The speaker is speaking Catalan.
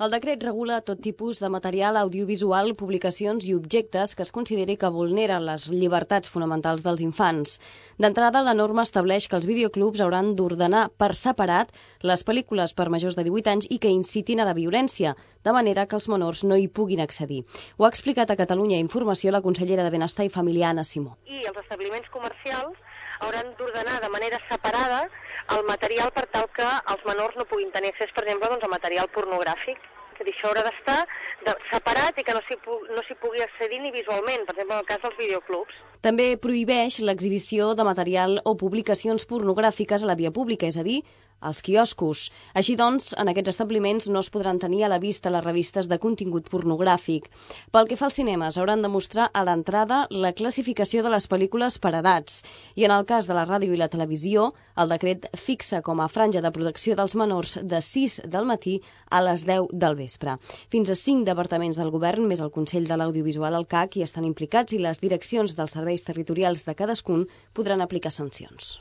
El decret regula tot tipus de material audiovisual, publicacions i objectes que es consideri que vulneren les llibertats fonamentals dels infants. D'entrada, la norma estableix que els videoclubs hauran d'ordenar per separat les pel·lícules per majors de 18 anys i que incitin a la violència, de manera que els menors no hi puguin accedir. Ho ha explicat a Catalunya Informació la consellera de Benestar i Família, Anna Simó. I els establiments comercials hauran d'ordenar de manera separada el material per tal que els menors no puguin tenir accés, per exemple, a material pornogràfic. És a dir, això haurà d'estar separat i que no s'hi pugui accedir ni visualment, per exemple, en el cas dels videoclubs. També prohibeix l'exhibició de material o publicacions pornogràfiques a la via pública, és a dir, als quioscos. Així doncs, en aquests establiments no es podran tenir a la vista les revistes de contingut pornogràfic. Pel que fa als cinemes, hauran de mostrar a l'entrada la classificació de les pel·lícules per edats. I en el cas de la ràdio i la televisió, el decret fixa com a franja de protecció dels menors de 6 del matí a les 10 del vespre. Fins a 5 departaments del govern, més el Consell de l'Audiovisual, el CAC, hi estan implicats i les direccions dels serveis territorials de cadascun podran aplicar sancions.